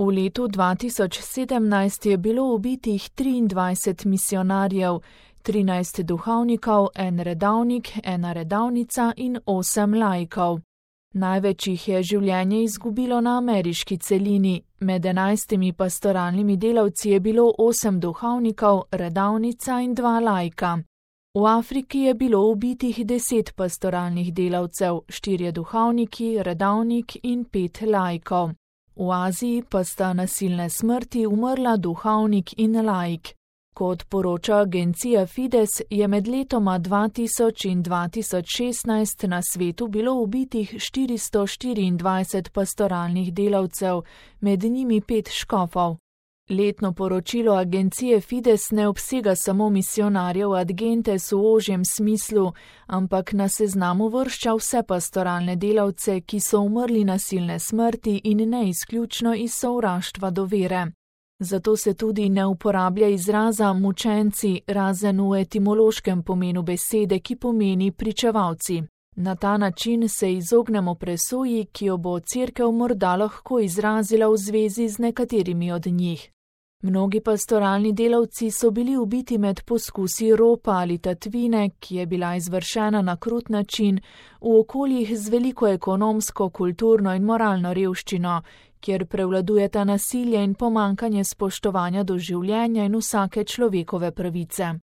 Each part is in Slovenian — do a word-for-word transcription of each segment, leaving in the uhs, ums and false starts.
V letu dva tisoč sedemnajst je bilo ubitih triindvajset misijonarjev, trinajst duhovnikov, en redavnik, ena redavnica in osem laikov. Največ jih je življenje izgubilo na ameriški celini, med enajstimi pastoralnimi delavci je bilo osem duhovnikov, redavnica in dva laika. V Afriki je bilo ubitih deset pastoralnih delavcev, štirje duhovniki, redavnik in pet laikov. V Aziji pa sta nasilne smrti umrla duhovnik in laik. Kot poroča agencija Fides, je med letoma dva tisoč in dva tisoč šestnajst na svetu bilo ubitih štiristo štiriindvajset pastoralnih delavcev, med njimi pet škofov. Letno poročilo agencije Fides ne obsega samo misijonarjev ad gentes v ožjem smislu, ampak na seznamu vršča vse pastoralne delavce, ki so umrli nasilne smrti in ne izključno iz sovraštva do vere. Zato se tudi ne uporablja izraza mučenci, razen v etimološkem pomenu besede, ki pomeni pričevalci. Na ta način se izognemo presoji, ki jo bo cerkev morda lahko izrazila v zvezi z nekaterimi od njih. Mnogi pastoralni delavci so bili ubiti med poskusi ropa ali tatvine, ki je bila izvršena na krut način, v okoljih z veliko ekonomsko, kulturno in moralno revščino, kjer prevladujeta nasilje in pomankanje spoštovanja do življenja in vsake človekove pravice.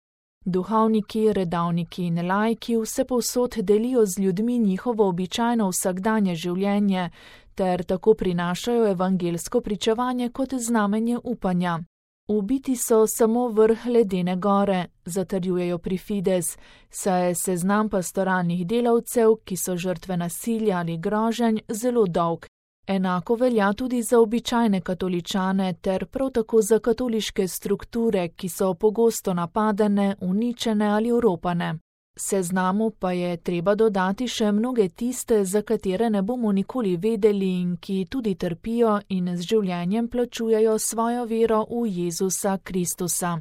Duhovniki, redavniki in laiki vsepovsod delijo z ljudmi njihovo običajno vsakdanje življenje ter tako prinašajo evangelsko pričevanje kot znamenje upanja. Ubiti so samo vrh ledene gore, zatrjujejo pri Fides, saj je seznam pastoralnih delavcev, ki so žrtve nasilja ali groženj, zelo dolg. Enako velja tudi za običajne katoličane ter prav tako za katoliške strukture, ki so pogosto napadene, uničene ali oropane. Seznamu pa je treba dodati še mnoge tiste, za katere ne bomo nikoli vedeli in ki tudi trpijo in z življenjem plačujejo svojo vero v Jezusa Kristusa.